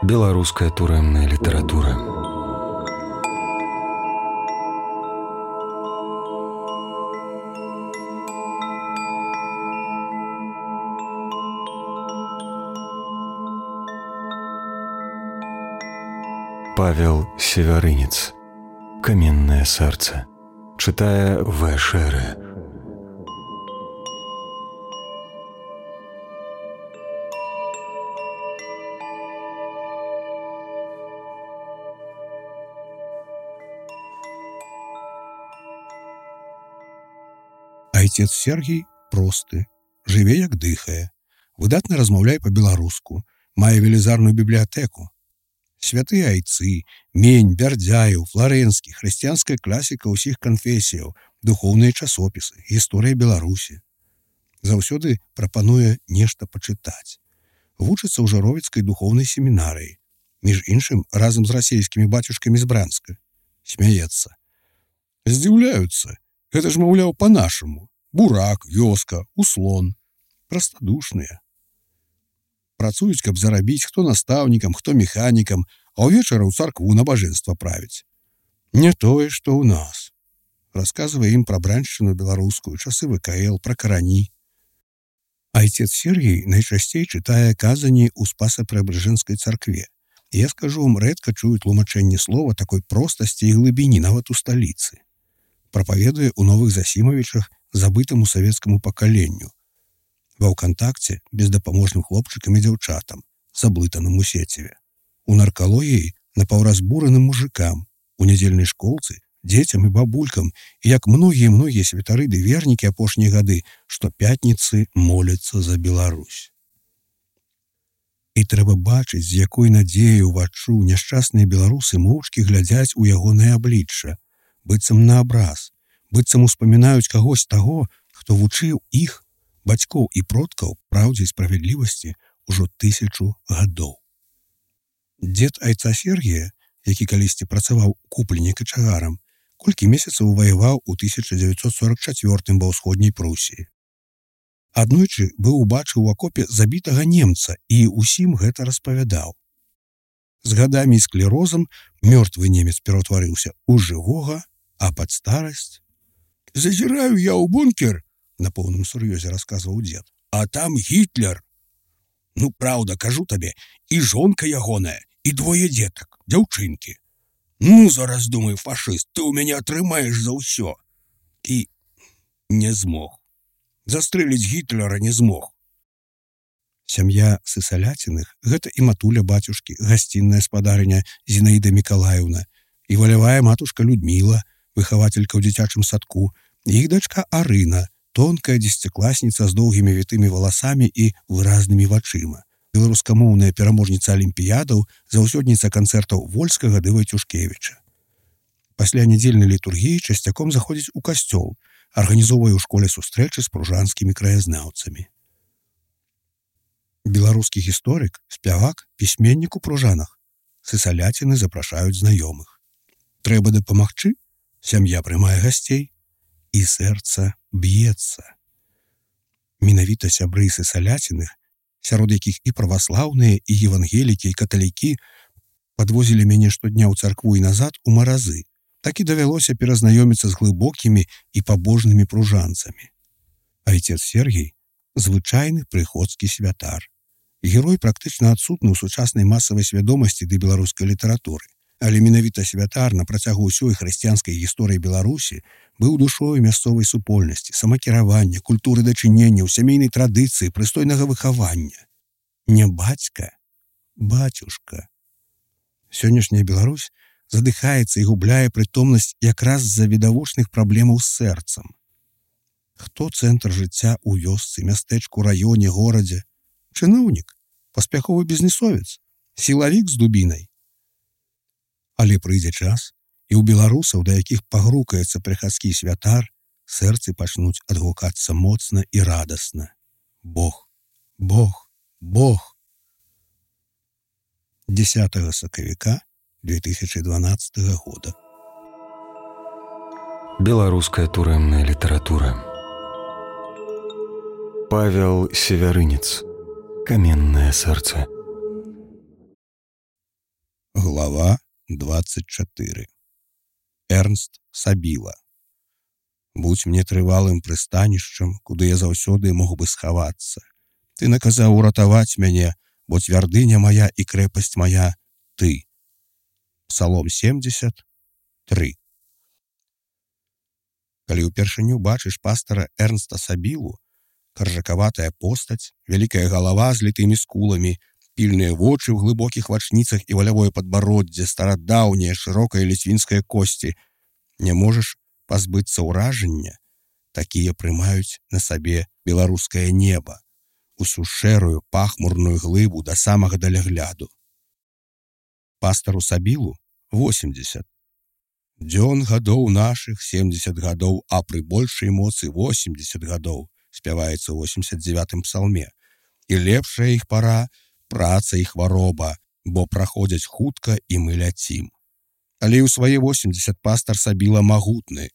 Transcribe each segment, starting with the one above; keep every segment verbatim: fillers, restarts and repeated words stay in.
Беларуская турэмная літаратура. Павел Севярынец. Каменное сердце. Читая В. Шеры. Айцец Сергій просты, жыве як дыхае, выдатна размаўляе па-беларуску, мае велізарную бібліятэку. Святыя айцы, Мень, Бярдзяеў, Фларэнскі, хрысціянская класіка ўсіх канфесіяў, духоўныя часопісы, гісторыя Беларусі. Заўсёды прапануе нешта пачытаць. Вучыцца ў Жаровіцкай духоўнай семінарыі, між іншым разам з расейскімі бацюшкамі з Бранска. Смяецца. Здзіўляюцца. Гэта ж, маўляў, па-нашаму. Бурак, вёска, услон. Прастадушныя. Працуюць, каб зарабіць, хто настаўнікам, хто механікам, а ўвечары ў царкву набажэнства правіць. Не тое, што ў нас. Расказвае ім пра браншчыну беларускую, часы вэ ка эл, пра карані. Айцец Сергій найчасцей чытае казані ў Спаса-Преабражэнскай царкве. Я скажу вам, рэдка чую тлумачэнне слова такой простасці і глыбіні нават у сталіцы. Прапаведуе ў Новых Засімавічах забытаму савецкаму пакаленню. Ва ўкантакце бездапаможным хлопчыкам і дзяўчатам, заблытаным у сеціве. У наркалогіі напаўразбураным мужикам, у нядзельнай школцы, дзецям і бабулькам, і як многія-многія святары ды вернікі апошнія гады, што пятніцы моляцца за Беларусь. І трэба бачыць, з якой надзеяй уваччу няшчасныя беларусы моўчкі глядзяць у ягонае аблічча, быццам на абраз, быццам успамінаюць кагось таго, хто вучыў іх, бацькоў і продкаў, праўдзе і справядлівасці ўжо тысячу гадоў. Дзед айца Сергія, які калісьці працаваў купленнік качагарам, колькі месяцаў ваяваў у тысяча дзевяцьсот сорак чацвёртым ва ўсходняй Прусіі. Аднойчы быў убачыў у акопе забітага немца і ўсім гэта распавядаў. З гадамі і склерозам мёртвы немец пераўтварыўся ў жывога, а пад старасць... «Зазіраю я ў бункер», на поўным сур'ёзе расказваў дзед, «а там Гітлер. Ну, праўда, кажу табе, і жонка ягоная, і двое дзетак, дзяўчынкі. Ну, зараз, думаю, фашыст, ты ў мяне атрымаеш за ўсё». І не змог. Застрэліць Гітлера не змог. Сям'я Сысаляціных – гэта і матуля бацюшкі, гасцінная спадарыня Зінаіда Мікалаеўна, і валявая матушка Людміла, выхавателька ў дзіцячым садку, і іх дачка Арына, тонкая дзесяцікласніца з доўгімі вітымі валасамі і выразнымі вачыма, беларускамоўная пераможніца алімпіядаў, заўсёдніца канцэртаў Вольскага ды Вайцюшкевіча. Пасля нядзельнай літургіі часцяком заходзіць у касцёл, арганізоўвае ў школе сустрэчы з пружанскімі краязнаўцамі. Беларускі гісторык, спявак, пісьменнік у Пружанах. Сысаляціны запрашаюць знаёмых. Трэба дапамагчы? Сям'я прымае гасцей. І сэрца б'ецца. Менавіта сябры Сысаляціных, сярод якіх і праваслаўныя, і евангелікі, і каталікі, падвозілі мяне штодня ў царкву і назад у маразы. Так і давялося перазнаёміцца з глыбокімі і пабожнымі пружанцамі. Айцец Сергій – звычайны прыходскі святар. Герой практычна адсутны ў сучаснай масавай свядомасці ды беларускай літаратуры. Але менавіта святар на працягу ўсёй хрысціянскай гісторыі Беларусі быў душою мясцовай супольнасці, самакіравання, культуры дачынення, сямейнай традыцыі, прыстойнага выхавання. Не бацька, бацюшка. Сённяшняя Беларусь задыхаецца і губляе прытомнасць якраз з-за відавочных праблемаў з сэрцам. Хто цэнтр жыцця ў вёсцы, мястэчку, раёне, горадзе? Чыноўнік, паспяховы бізнесовец, сілавік з дубінай. Але прыйдзе час, і ў беларусаў, да якіх пагрукаецца прыхадскі святар, сэрцы пачнуць адгукацца моцна і радасна. Бог, Бог, Бог. дзесятага сакавіка две тысячи дванаццатага года. Беларуская турэмная літаратура. Павел Севярынец. Каменное сердце. Глава двадцать чатыры. Эрнст Сабіла. Будь мне трывалым прыстанішчам, куды я заўсёды мог бы схавацца. Ты наказаў уратаваць мяне, бо цвярдыня моя і крэпасць моя ты. Псалом семьдесят три. Калі ўпершыню бачыш пастара Эрнста Сабілу, каржакаватая постаць, вялікая галава з літымі скуламі, пільныя вочы ў глыбокіх вачніцах і валявое падбароддзе, старадаўнія шырокая ліцвінская косці, не можаш пазбыцца ўражання, такія прымаюць на сабе беларускае неба, усю шэрую пахмурную глыбу да самага далягляду. Пастару Сабілу восемьдесят. Дзён гадоў нашых семьдесят гадоў, а пры большай моцы восемьдесят гадоў, спяваецца ў восемьдесят девятым псалме. І лепшая іх пара праца і хвароба, бо праходзяць хутка і мы ляцім. Але ў свае восемьдесят пастар Сабіла магутны.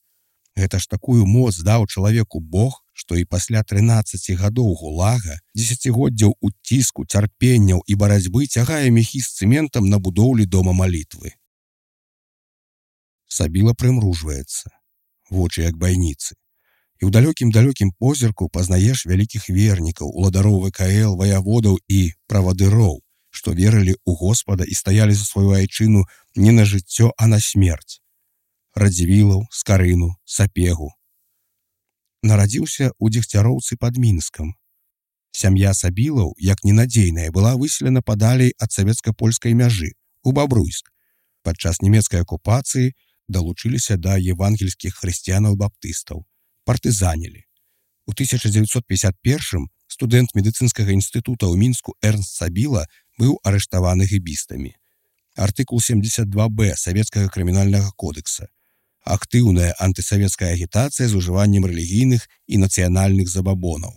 Гэта ж такую моц даў чалавеку Бог, што і пасля трынаццаці гадоў гулага, дзесяцігоддзяў уціску, цярпенняў і барацьбы цягае мехі з цэментам на будоўлі дома малітвы. Сабіла прымружваецца, вочы як байніцы. І ў далёкім-далёкім позірку пазнаеш вялікіх вернікаў, уладароў вэ ка эл, ваяводаў і правадыроў, што верылі ў Господа і стаялі за сваю айчыну не на жыццё, а на смерць. Радзівілаў, Скарыну, Сапегу. Нарадзіўся ў Дзегцяроўцы пад Мінскам. Сям'я Сабілаў, як ненадзейная, была выселена падалей ад савецка-польскай мяжы, у Бабруйск. Падчас нямецкай акупацыі далучыліся да евангельскіх хрысціянаў-баптыстаў, партызанілі. У тысяча дзевяцьсот пятьдесят первым студэнт медыцынскага інстытута ў Мінску Эрнст Сабіла быў арыштаваны гэбістамі. Артыкул семьдесят два бэ Савецкага крымінальнага кодекса. Актыўная антысавецкая агітацыя з ужываннем рэлігійных і нацыянальных забабонаў.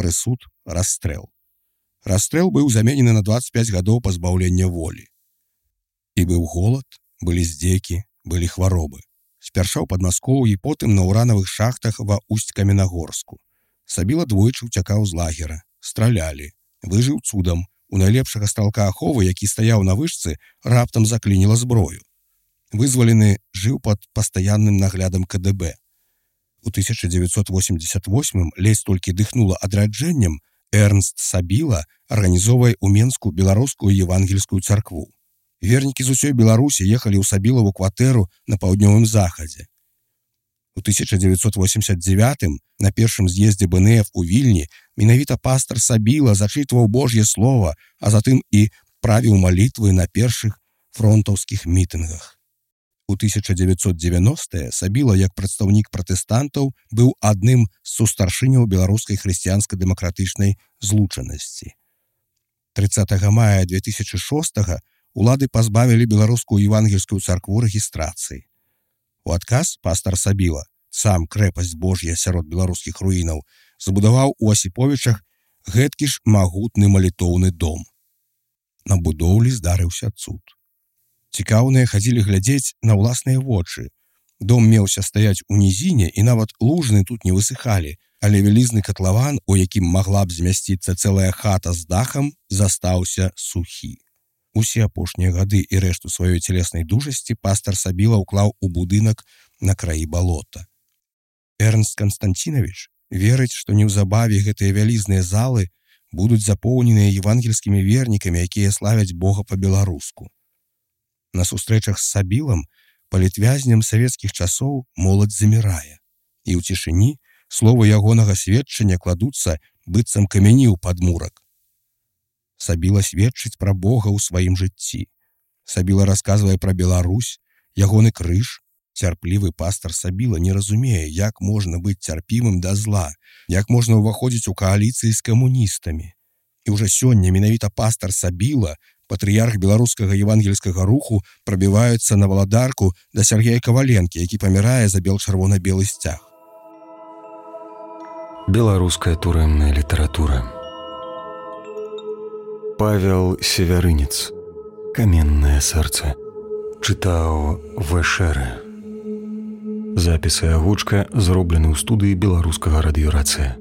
Прысуд – расстрэл. Расстрэл быў заменены на двадцать пять гадоў пазбаўлення волі. І быў голад, былі здзекі, былі хваробы. Спярша ў Падмаскоўі, потым на уранавых шахтах ва Усть-Каменагорску. Сабіла двойчы ўцякаў з лагера, стралялі, выжыў цудам. У найлепшага стралка аховы, які стаяў на вышцы, раптам заклініла зброю. Вызвалены жыў пад пастаянным наглядам ка дэ бэ. У тысяча дзевяцьсот восемьдесят восьмым ледзь толькі дыхнула адраджэннем, Эрнст Сабіла арганізоўвае ў Менску беларускую евангельскую царкву. Вернікі з усёй Беларусі ехалі ў Сабілаву кватэру на паўднёвым захадзе. У тысяча дзевяцьсот восемьдесят девятым на першым з'ездзе бэ эн эф у Вільні менавіта пастар Сабіла зачытваў Божье слово, а затым і правіў малітвы на першых фронтаўскіх мітынгах. У тысяча дзевяцьсот девяностыя Сабіла, як прадстаўнік пратэстантаў, быў адным з сустаршыняў беларускай хрысціянска-дэмакратычнай злучанасці. трыццатага мая две тысячи шостага улады пазбавілі беларускую евангельскую царкву рэгістрацыі. У адказ пастар Сабіла, сам крэпасць Божья сярод беларускіх руінаў, забудаваў у Асіповічах гэткі ж магутны малітоўны дом. На будоўлі здарыўся цуд. Цікаўныя хадзілі глядзець на ўласныя вочы. Дом меўся стаяць у нізіне, і нават лужны тут не высыхалі, але вялізны катлаван, у якім магла б змясціцца цэлая хата з дахам, застаўся сухі. Усе апошнія гады і рэшту сваёй целеснай дужасці пастар Сабіла ўклаў у будынак на краі балота. Эрнст Канстанцінавіч верыць, што неўзабаве гэтыя вялізныя залы будуць запоўненыя евангельскімі вернікамі, якія славяць Бога па-беларуску. На сустрэчах з Сабілам, палітвязням савецкіх часоў, моладзь замірае. І ў цішыні словы ягонага сведчання кладуцца быццам камяні ў падмурак. Сабіла сведчыць пра Бога ў сваім жыцці. Сабіла расказвае пра Беларусь, ягоны крыж. Цярплівы пастар Сабіла не разумее, як можна быць цярпімым да зла, як можна ўваходзіць у кааліцыі з камуністамі. І ўжо сёння менавіта пастар Сабіла, патрыярх беларускага евангельскага руху, прабіваюцца на валадарку да Сергея Каваленкі, які памірае за бел-чырвона-белы сцяг. Беларуская турэмная літаратура. Павел Севярынец. Каменнае сэрца. Чытаў Вэшэрэ. Запіс і агучка зроблены ў студыі беларускага радыёрацыя.